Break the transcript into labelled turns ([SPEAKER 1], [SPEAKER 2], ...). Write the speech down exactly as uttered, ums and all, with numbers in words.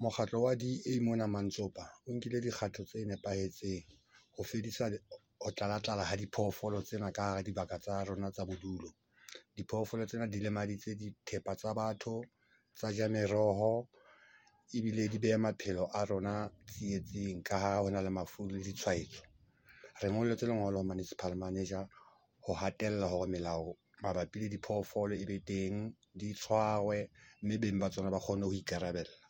[SPEAKER 1] Mokgatlo wa D_A mona Mantsopa o nkile dikgato tse nepahetseng ho fedisa ho tlala-tlala ha diphoofolo tsena ka hara dibaka tsa rona tsa bodulo. Diphoofolo tsena di lemaditse dithepa tsa batho, tsa ja meroho, ebile di beha maphelo a rona tsietsing ka ha hona le mafu le ditshwaetso. Re ngolletse lengolo municipal manager ho hatella hore melao mabapi le diphoofolo e be teng, di tshwarwe mme beng ba tsona ba kgone ho ikarabella.